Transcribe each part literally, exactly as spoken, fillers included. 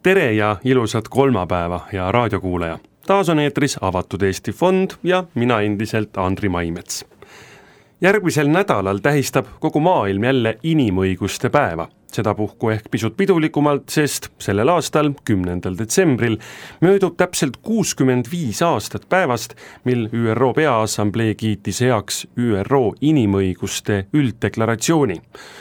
Tere ja ilusat kolmapäeva ja raadiokuulaja. Taas on eetris Avatud Eesti Fond ja mina endiselt Andri Maimets. Järgmisel nädalal tähistab kogu maailm jälle inimõiguste päeva. Sedapuhku ehk pisut pidulikumalt, sest sellel aastal, kümnendal detsembril, möödub täpselt kuuskümmend viis aastat päevast, mil Ü R O Peaassamblee kiitis heaks Ü R O inimõiguste ülddeklaratsiooni.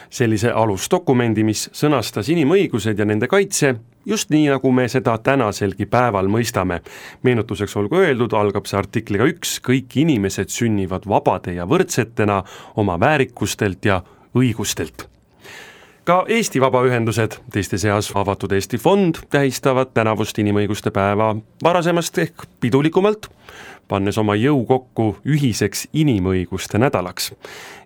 Sellise alusdokumendi, mis sõnastas inimõigused ja nende kaitse, just nii, nagu me seda tänaselgi päeval mõistame. Meenutuseks olgu öeldud, algab see artikliga üks, kõik inimesed sünnivad vabade ja võrdsetena oma väärikustelt ja õigustelt. Ka Eesti vabaühendused, teiste seas Avatud Eesti Fond, tähistavad tänavust inimõiguste päeva varasemast ehk pidulikumalt, pannes oma jõu kokku ühiseks inimõiguste nädalaks.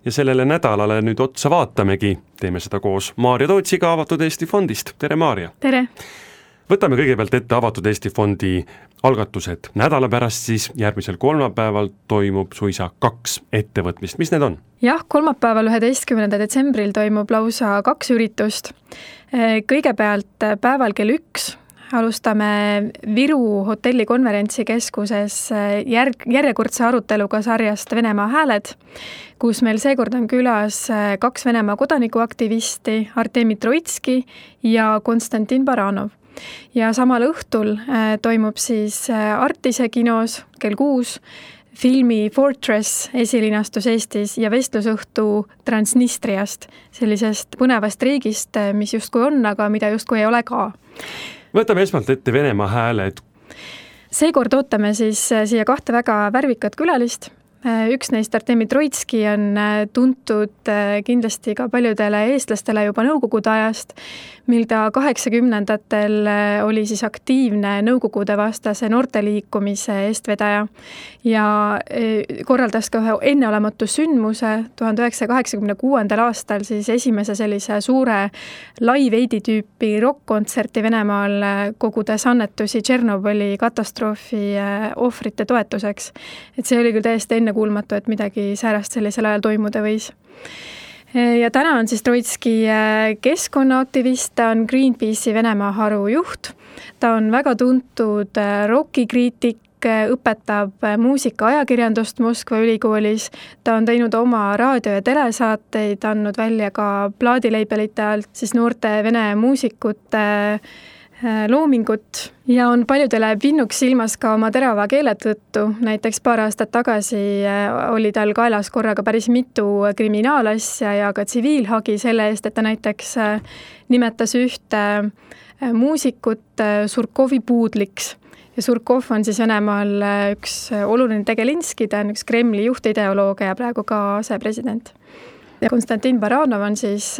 Ja sellele nädalale nüüd otsa vaatamegi, teeme seda koos Maarja Tootsiga Avatud Eesti Fondist. Tere, Maarja! Tere! Võtame kõigepealt ette Avatud Eesti Fondi algatused. Nädala pärast siis järgmisel kolmapäeval toimub suisa kaks ettevõtmist. Mis need on? Jah, kolmapäeval üheteistkümnendal detsembril toimub lausa kaks üritust. Kõigepealt päeval kell üks alustame Viru hotelli konverentsikeskuses järg, järjekordse aruteluga sarjast Venemaa hääled, kus meil seekord on külas kaks Venemaa kodanikuaktivisti, Artemi Troitski ja Konstantin Baranov. Ja samal õhtul toimub siis Artise kinos kell kuus filmi Fortress esilinastus Eestis ja vestlusõhtu Transnistriast, sellisest põnevast riigist, mis justkui on, aga mida justkui ei ole ka. Võtame esmalt ette Venemaa hääled. Seekord ootame siis siia kahte väga värvikat külalist. Üks neist, Artemi Troitski, on tuntud kindlasti ka paljudele eestlastele juba nõukogude ajast, mil ta kaheksakümnendatel oli siis aktiivne nõukogude vastase noorteliikumise eestvedaja ja korraldas ka ühe enneolematu sündmuse tuhande üheksasaja kaheksakümne kuuendal aastal siis esimese sellise suure live-aidi tüüpi rock-kontserti Venemaal, kogudes annetusi Tšernobõli katastroofi ohvrite toetuseks. Et see oli küll täiesti ennekuulmatu, et midagi säärast sellisel ajal toimuda võis. Ja täna on siis Troitski keskkonnaaktivist, ta on Greenpeace'i Venemaa haru juht. Ta on väga tuntud rockikriitik, õpetab muusika ajakirjandust Moskva ülikoolis. Ta on teinud oma raadio- ja telesaateid, andnud välja ka plaadileibelite alt siis noorte vene muusikute loomingut ja on paljudele pinnuks silmas ka oma terava keele tõttu. Näiteks paar aastat tagasi oli tal kaelas korraga päris mitu kriminaalasja ja ka tsiviilhagi selle eest, et ta näiteks nimetas ühte muusikut Surkovi puudliks. Ja Surkov on siis Venemaal üks oluline Tegelinski, ta on üks Kremli juhtideoloogia ja praegu ka asepresident. Ja Konstantin Baranov on siis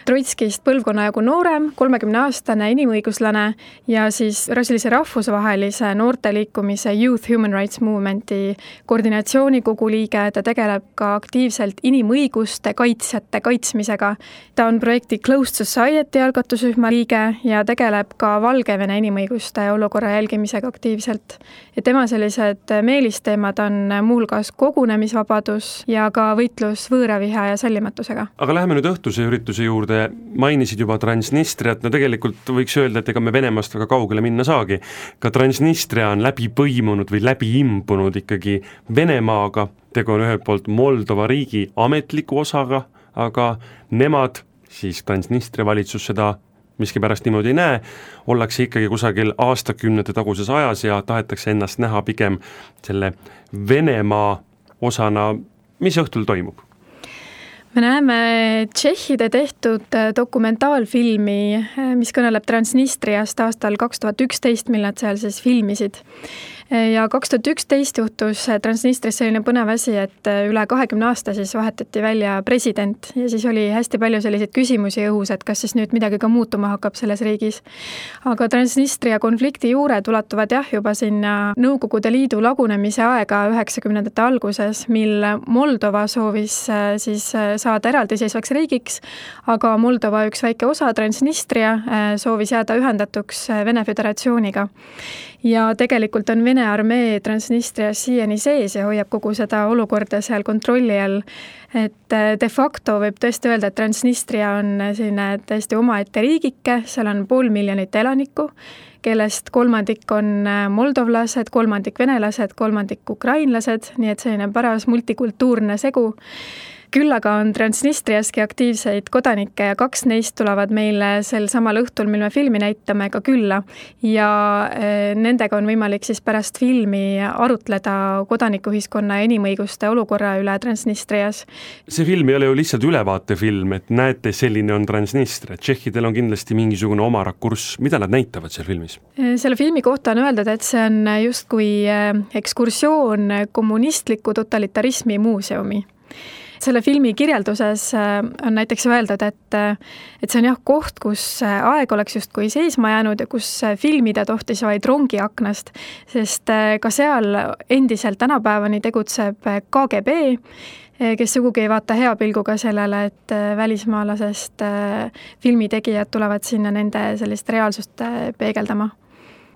Troitskist põlvkonna jagu noorem, kolmekümneaastane inimõiguslane ja siis sellise rahvusvahelise noorteliikumise Youth Human Rights Movementi koordinatsioonikogu liige. Ta tegeleb ka aktiivselt inimõiguste kaitsjate kaitsmisega. Ta on projekti Closed Society algatusrühma liige ja tegeleb ka Valgevene inimõiguste olukorra jälgimisega aktiivselt. Ja tema sellised meelisteemad on muulgas kogunemisvabadus ja ka võitlus võõraviha ja sallimatusega. Aga läheme nüüd õhtuse ürituse juurde. Mainisid juba Transnistriat. No tegelikult võiks öelda, et ega me Venemaast väga kaugele minna saagi. Ka Transnistria on läbi põimunud või läbi imbunud ikkagi Venemaaga. Tegu on ühelt poolt Moldova riigi ametliku osaga, aga nemad, siis Transnistria valitsus seda miskipärast niimoodi ei näe, ollakse ikkagi kusagil aastakümnete taguses ajas ja tahetakse ennast näha pigem selle Venemaa osana. Mis õhtul toimub? Me näeme tšehhide tehtud dokumentaalfilmi, mis kõneleb Transnistriast aastal kaks tuhat üksteist, mil nad seal siis filmisid. Ja kaks tuhat üksteist juhtus Transnistris selline põnev asi, et üle kahekümne aasta siis vahetati välja president ja siis oli hästi palju selliseid küsimusi õhus, et kas siis nüüd midagi ka muutuma hakkab selles riigis. Aga Transnistria konflikti juured ulatuvad jah juba sinna Nõukogude Liidu lagunemise aega üheksakümnendate alguses, mil Moldova soovis siis saada eraldiseisvaks riigiks, aga Moldova üks väike osa, Transnistria, soovis jääda ühendatuks Vene Föderatsiooniga. Ja tegelikult on Vene Vene armee Transnistrias siiani sees ja hoiab kogu seda olukorda seal kontrolli all. Et de facto võib tõesti öelda, et Transnistria on selline täiesti omaette riigike, seal on pool miljonit elanikku, kellest kolmandik on moldovlased, kolmandik venelased, kolmandik ukrainlased, nii et selline paras multikultuurne segu. Küll aga on Transnistriaski aktiivseid kodanikke ja kaks neist tulevad meile sel samal õhtul, mil me filmi näitame, ka külla. Ja nendega on võimalik siis pärast filmi arutleda kodanikuühiskonna ja inimõiguste olukorra üle Transnistrias. See film ei ole ju lihtsalt ülevaatefilm, et näete, selline on Transnistria. Tšehhidel on kindlasti mingisugune oma rakurss. Mida nad näitavad seal filmis? Selle filmi kohta on öeldud, et see on justkui ekskursioon kommunistliku totalitarismi muuseumi. Selle filmi kirjelduses on näiteks öeldud, et, et see on jah koht, kus aeg oleks justkui seisma jäänud ja kus filmida tohtis vaid rongi aknast, sest ka seal endiselt tänapäevani tegutseb K G B, kes sugugi ei vaata hea pilguga sellele, et välismaalasest filmitegijad tulevad sinna nende sellist reaalsust peegeldama.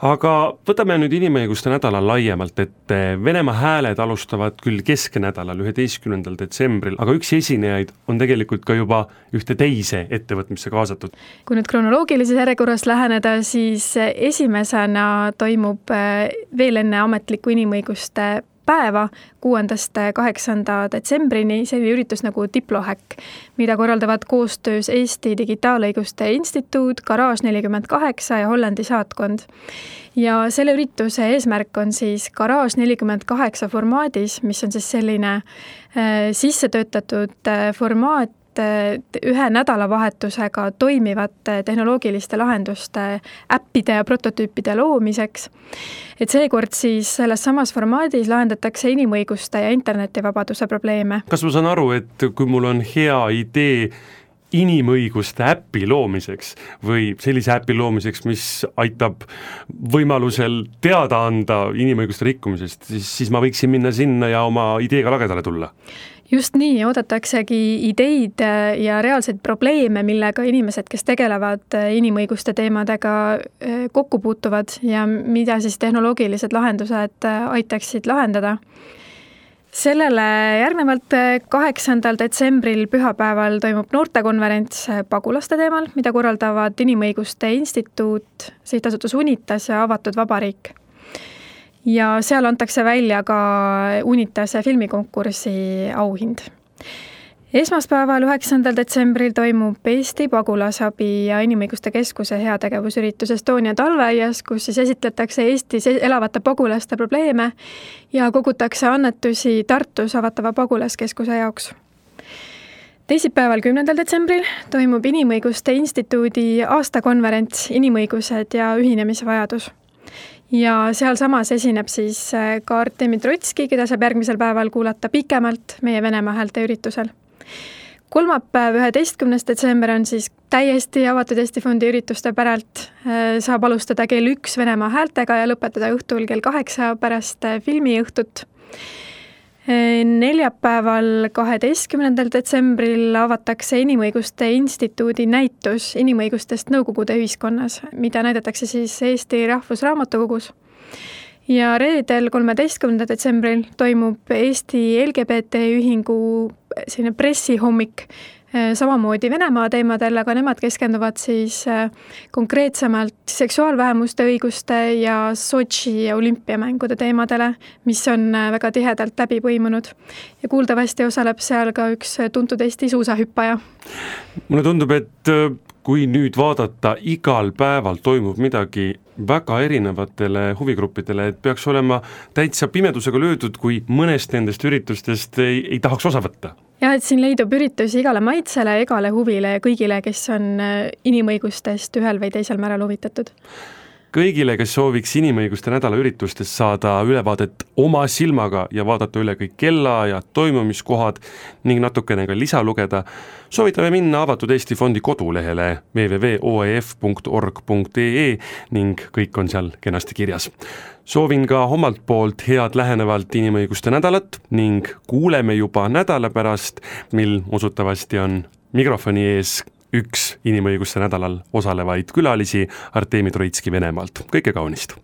Aga võtame nüüd inimõiguste nädala laiemalt, et Venemaa hääled alustavad küll keskenädalal üheteistkümnendal detsembril, aga üks esinejaid on tegelikult ka juba ühte teise ettevõtmisse kaasatud. Kui nüüd kronoloogilises järjekorras läheneda, siis esimesena toimub veel enne ametliku inimõiguste päeva kuuendast kaheksanda detsembrini selline üritus nagu Diplohäkk, mida korraldavad koostöös Eesti Digitaalõiguste Instituut, Garage nelikümmend kaheksa ja Hollandi saatkond. Ja selle ürituse eesmärk on siis Garage nelikümmend kaheksa formaadis, mis on siis selline äh, sisse töötatud äh, formaat, ühe nädalavahetusega toimivate tehnoloogiliste lahenduste äppide ja prototüüpide loomiseks. Et seekord siis selles samas formaadis lahendatakse inimõiguste ja internetivabaduse probleeme. Kas ma saan aru, et kui mul on hea idee inimõiguste äppi loomiseks või sellise äppi loomiseks, mis aitab võimalusel teada anda inimõiguste rikkumisest, siis, siis ma võiksin minna sinna ja oma ideega lagedale tulla? Just nii, oodataksegi ideid ja reaalseid probleeme, millega inimesed, kes tegelevad inimõiguste teemadega, kokku puutuvad ja mida siis tehnoloogilised lahendused aitaksid lahendada. Sellele järgnevalt kaheksandal detsembril pühapäeval toimub noortekonverents pagulaste teemal, mida korraldavad Inimõiguste Instituut, Sihtasutus Unitas ja Avatud Vabariik. Ja seal antakse välja ka Unitase filmikonkursi auhind. Esmaspäeval üheksandal detsembril toimub Eesti Pagulasabi ja Inimõiguste Keskuse heategevusüritus Estonia talveaias, kus siis esitletakse Eestis elavate pagulaste probleeme ja kogutakse annetusi Tartus avatava pagulaskeskuse jaoks. Teisipäeval kümnendal detsembril toimub Inimõiguste Instituudi aastakonverents Inimõigused ja ühinemisvajadus. Ja seal samas esineb siis ka Artemi Troitski, keda saab järgmisel päeval kuulata pikemalt meie Venemaa häälte üritusel. Kolmapäev üheteistkümnes detsember on siis täiesti avatud Eesti Fondi ürituste päralt. Saab alustada kell üks Venemaa häältega ja lõpetada õhtul kell kaheksa pärast filmiõhtut. Neljapäeval kaheteistkümnendal detsembril avatakse Inimõiguste Instituudi näitus inimõigustest Nõukogude ühiskonnas, mida näidatakse siis Eesti Rahvusraamatukogus. Ja reedel kolmeteistkümnendal detsembril toimub Eesti L G B T ühingu selline pressihommik, samamoodi Venemaa teemadel, aga nemad keskenduvad siis konkreetsemalt seksuaalvähemuste õiguste ja Sotši olümpiamängude teemadele, mis on väga tihedalt läbi põimunud. Ja kuuldavasti osaleb seal ka üks tuntud Eesti suusahüppaja. Mulle tundub, et kui nüüd vaadata, igal päeval toimub midagi väga erinevatele huvigruppidele, et peaks olema täitsa pimedusega löödud, kui mõnest nendest üritustest ei, ei tahaks osa võtta. Ja, et siin leidub üritusi igale maitsele, igale huvile ja kõigile, kes on inimõigustest ühel või teisel määral huvitatud. Kõigile, kes sooviks inimõiguste nädala üritustest saada ülevaadet oma silmaga ja vaadata üle kõik kella ja toimumiskohad ning natukene ka lisa lugeda, soovitame minna Avatud Eesti Fondi kodulehele w w w punkt o e f punkt org punkt e e ning kõik on seal kenasti kirjas. Soovin ka omalt poolt head lähenevalt inimõiguste nädalat ning kuuleme juba nädala pärast, mil usutavasti on mikrofoni ees üks inimõiguste nädalal osalevaid külalisi Artemi Troitski Venemaalt. Kõike kaunist!